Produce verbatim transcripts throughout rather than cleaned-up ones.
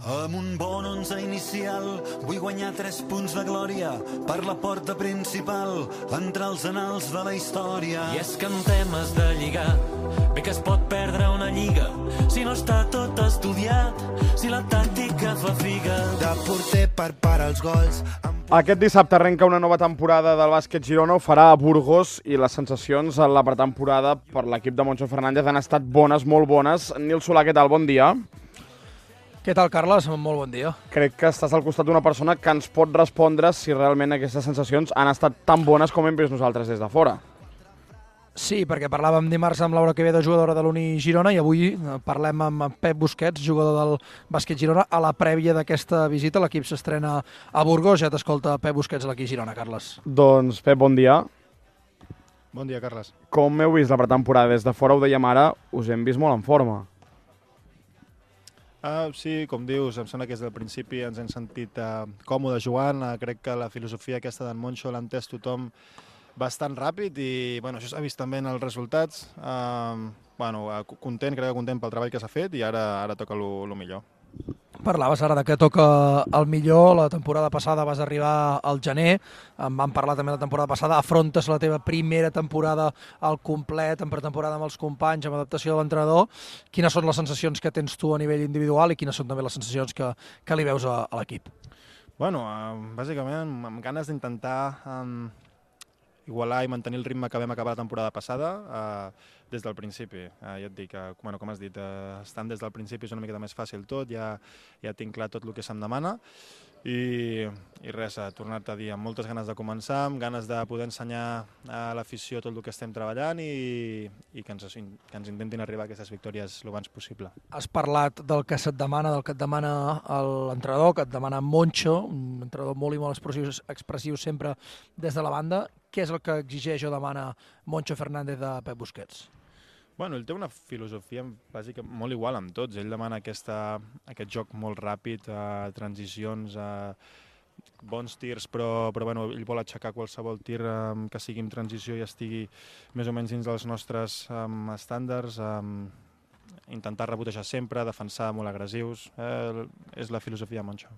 Amb un bon onze inicial vull guanyar tres punts de glòria per la porta principal, entre els anals de la història. I és que en temes de lligar, bé que es pot perdre una lliga si no està tot estudiat, si la tàctica fa figa. De porter per parar els gols. Aquest dissabte arrenca una nova temporada del bàsquet Girona, ho farà a Burgos, i les sensacions en la pretemporada per l'equip de Moncho Fernández han estat bones, molt bones. Nil Solà, què tal? Bon dia. Què tal, Carles? Molt bon dia. Crec que estàs al costat d'una persona que ens pot respondre si realment aquestes sensacions han estat tan bones com hem vist nosaltres des de fora. Sí, perquè parlàvem dimarts amb Laura Quevedo, jugadora de l'Uni Girona, i avui parlem amb Pep Busquets, jugador del bàsquet Girona, a la prèvia d'aquesta visita. L'equip s'estrena a Burgos. Ja t'escolta Pep Busquets a l'equip Girona, Carles. Doncs, Pep, bon dia. Bon dia, Carles. Com heu vist la pretemporada? Des de fora, ho dèiem ara, us hem vist molt en forma. Uh, sí, com dius, em sembla que des del principi ens hem sentit uh, còmodes jugant. Uh, crec que la filosofia aquesta d'en Moncho l'ha entès tothom bastant ràpid i bueno, això s'ha vist també en els resultats. Uh, bueno, uh, content, crec que content pel treball que s'ha fet i ara, ara toca el millor. Parlaves ara de que toca el millor. La temporada passada vas arribar al gener, en vam parlar també la temporada passada, afrontes la teva primera temporada al complet, en pretemporada amb els companys, amb adaptació de l'entrenador. Quines són les sensacions que tens tu a nivell individual i quines són també les sensacions que, que li veus a, a l'equip? Bueno, uh, bàsicament amb, amb ganes d'intentar um, igualar i mantenir el ritme que vam acabar la temporada passada uh, des del principi. Uh, ja et dic, uh, bueno, com has dit, uh, estant des del principi és una miqueta més fàcil tot, ja, ja tinc clar tot el que se'm demana i, i res, uh, tornar-te a dir amb moltes ganes de començar, amb ganes de poder ensenyar a l'afició tot el que estem treballant i, i que, ens, que ens intentin arribar a aquestes victòries el abans possible. Has parlat del que se't demana, del que et demana l'entrenador, que et demana Moncho, un entrenador molt i molt expressiu, expressiu sempre des de la banda. Què és el que exigeix o demana Moncho Fernández de Pep Busquets? Bueno, ell té una filosofia bàsica molt igual amb tots. Ell demana aquesta, aquest joc molt ràpid, uh, transicions, uh, bons tirs, però, però bueno, ell vol aixecar qualsevol tir um, que sigui en transició i estigui més o menys dins dels nostres um, estàndards, um, intentar rebotejar sempre, defensar molt agressius. Eh, és la filosofia de Moncho.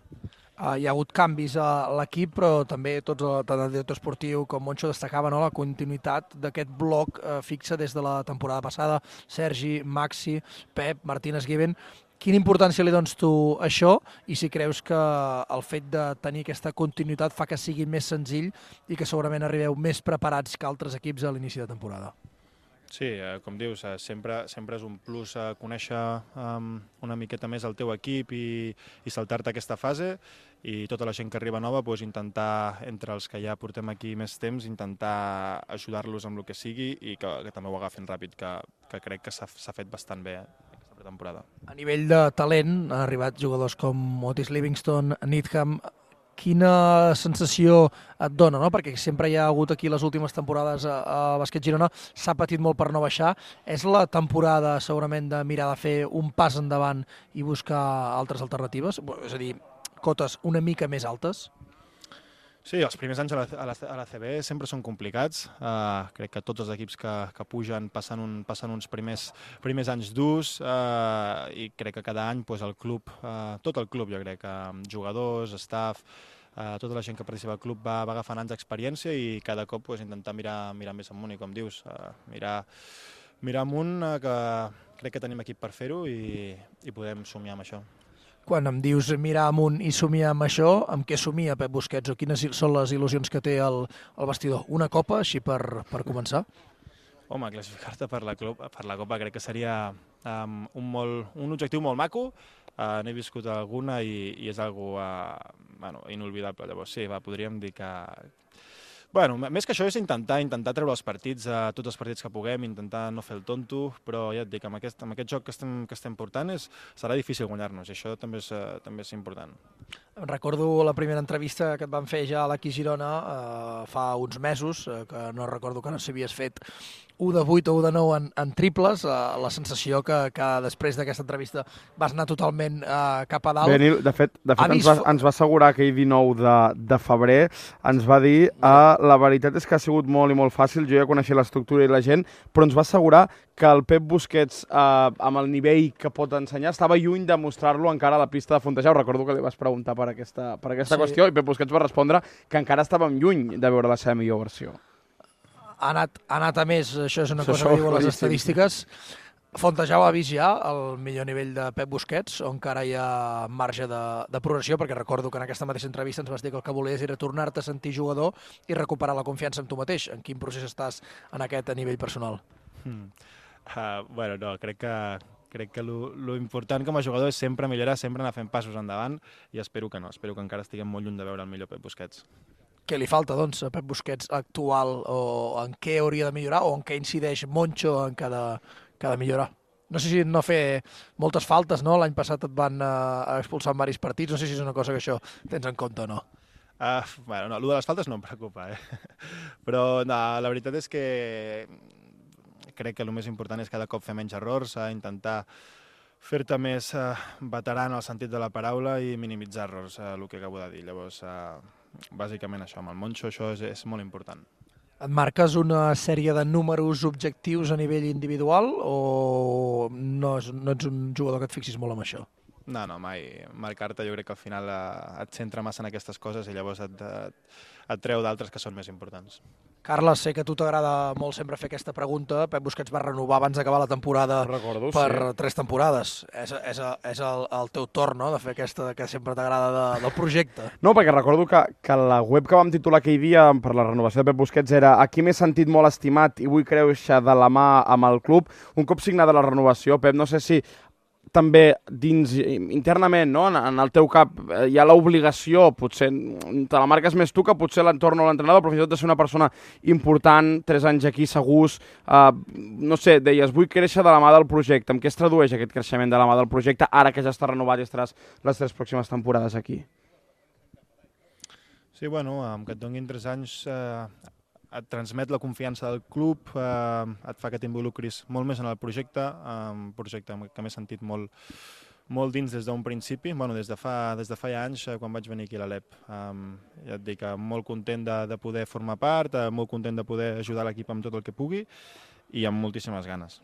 Uh, hi ha hagut canvis a l'equip, però també tots, tant el director esportiu com Moncho destacava, no?, la continuïtat d'aquest bloc uh, fixe des de la temporada passada. Sergi, Maxi, Pep, Martínez, Given. Quina importància li dones tu a això i si creus que el fet de tenir aquesta continuïtat fa que sigui més senzill i que segurament arribeu més preparats que altres equips a l'inici de temporada? Sí, eh, com dius, eh, sempre, sempre és un plus eh, conèixer um, una miqueta més el teu equip i, i saltar-te aquesta fase i tota la gent que arriba nova, doncs, intentar, entre els que ja portem aquí més temps, intentar ajudar-los amb el que sigui i que, que també ho agafin ràpid, que, que crec que s'ha fet bastant bé eh, aquesta pretemporada. A nivell de talent, han arribat jugadors com Otis Livingston, Needham. Quina sensació et dona, no? Perquè sempre hi ha hagut aquí les últimes temporades a, a Bàsquet Girona, s'ha patit molt per no baixar. És la temporada segurament de mirar de fer un pas endavant i buscar altres alternatives? És a dir, cotes una mica més altes? Sí, els primers anys a la, a la, a la C B sempre són complicats. Uh, crec que tots els equips que, que pugen passen, un, passen uns primers, primers anys durs uh, i crec que cada any pues, el club, uh, tot el club jo crec, uh, jugadors, staff, uh, tota la gent que participa al club va, va agafant anys d'experiència i cada cop pues, intentar mirar, mirar més amunt i com dius, uh, mirar, mirar amunt uh, que crec que tenim equip per fer-ho i, i podem somiar amb això. Quan em dius mirar amunt i somiar amb això, amb què somia Pep Busquets o quines són les il·lusions que té el, el vestidor? Una copa, així per, per començar? Home, classificar-te per, la per la copa crec que seria um, un, molt, un objectiu molt maco. Uh, N'he viscut alguna i, i és algo uh, bueno, inolvidable. Llavors sí, va, podríem dir que... Bueno, més que això és intentar intentar treure els partits, a tots els partits que puguem, intentar no fer el tonto, però ja et dic, amb aquest, amb aquest joc que estem, que estem portant és, serà difícil guanyar-nos i això també és, uh, també és important. Recordo la primera entrevista que et van fer ja a l'Aqui Girona eh, fa uns mesos, eh, que no recordo que no s'havies fet u de vuit o u de nou en, en triples, uh, la sensació que, que després d'aquesta entrevista vas anar totalment uh, cap a dalt. Bé, Nil, de fet, de fet ens, vist... va, ens va assegurar aquell dinou de, de febrer, ens va dir uh, la veritat és que ha sigut molt i molt fàcil, jo ja coneixia l'estructura i la gent, però ens va assegurar que el Pep Busquets, uh, amb el nivell que pot ensenyar, estava lluny de mostrar-lo encara a la pista de Fontejau. Recordo que li vas preguntar per aquesta, per aquesta sí. qüestió i Pep Busquets va respondre que encara estàvem lluny de veure la seva millor versió. Ha anat, ha anat a més, això és una això cosa que diuen les estadístiques. Fontejau ha vist ja el millor nivell de Pep Busquets, on encara hi ha marge de, de progressió, perquè recordo que en aquesta mateixa entrevista ens vas dir que el que volies era tornar-te a sentir jugador i recuperar la confiança en tu mateix. En quin procés estàs en aquest a nivell personal? Hmm. Uh, bueno, no, crec que, crec que lo, lo important com a jugador és sempre millorar, sempre anar fent passos endavant i espero que no, espero que encara estiguem molt lluny de veure el millor Pep Busquets. Què li falta, doncs, a Pep Busquets actual, o en què hauria de millorar, o en què incideix Moncho en què ha de, que ha de millorar? No sé si no fer moltes faltes, no? L'any passat et van uh, expulsar en diversos partits, no sé si és una cosa que això tens en compte o no. Uh, bueno, no, el de les faltes no em preocupa, eh? Però no, la veritat és que crec que el més important és cada cop fer menys errors, a intentar fer-te més uh, veterà en el sentit de la paraula i minimitzar errors, uh, el que acabo de dir. Llavors, uh, bàsicament això, amb el Moncho això és, és molt important. Et marques una sèrie de números objectius a nivell individual o no, és, no ets un jugador que et fixis molt amb això? No, no, mai. Marcar-te jo crec que al final uh, et centra massa en aquestes coses i llavors et, et, et treu d'altres que són més importants. Carles, sé que a tu t'agrada molt sempre fer aquesta pregunta. Pep Busquets va renovar abans d'acabar la temporada Recordo, per sí. tres temporades. És, és, és el, el teu torn, no?, de fer aquesta que sempre t'agrada de, del projecte. No, perquè recordo que, que la web que vam titular aquell dia per la renovació de Pep Busquets era "Aquí m'he sentit molt estimat i vull créixer de la mà amb el club". Un cop signada la renovació, Pep, no sé si també dins, internament, no? en, en el teu cap hi ha l'obligació, potser te la marques més tu que potser l'entorn o l'entrenador, però fins i tot de ser una persona important, tres anys aquí segurs, eh, no sé, deies, vull créixer de la mà del projecte. En què es tradueix aquest creixement de la mà del projecte ara que ja està renovat i estaràs les tres pròximes temporades aquí? Sí, bueno, amb que et donin tres anys eh, et transmet la confiança del club, eh, et fa que t'involucris molt més en el projecte, eh, un projecte que m'he sentit molt, molt dins des d'un principi, bueno, des de fa, des de fa ja anys, eh, quan vaig venir aquí a l'Alep. Eh, ja et dic, eh, molt content de, de poder formar part, eh, molt content de poder ajudar l'equip amb tot el que pugui i amb moltíssimes ganes.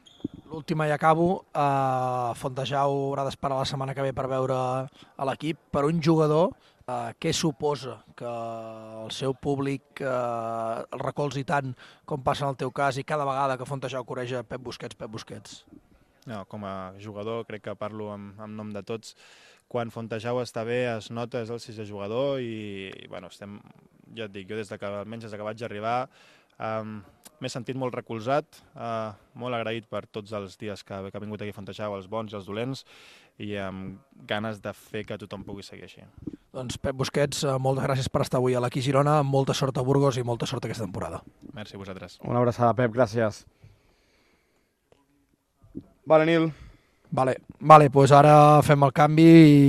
L'última i acabo, eh, Fontejau haurà d'esperar la setmana que ve per veure a l'equip. Per un jugador, Uh, què suposa que el seu públic uh, el recolzi tant com passa en el teu cas i cada vegada que Fontejau coreja Pep Busquets, Pep Busquets? No, com a jugador crec que parlo en, en nom de tots. Quan Fontejau està bé es nota, és el sisè jugador i, i bueno, estem, ja et dic, jo des de que, almenys des de que vaig arribar um, m'he sentit molt recolzat, uh, molt agraït per tots els dies que, que ha vingut aquí a Fontejau, els bons i els dolents, i amb ganes de fer que tothom pugui seguir així. Doncs Pep Busquets, moltes gràcies per estar avui a l'Aqui Girona, molta sort a Burgos i molta sort aquesta temporada. Merci a vosaltres. Una abraçada, Pep, gràcies. Vale, Nil. Vale, vale, doncs ara fem el canvi i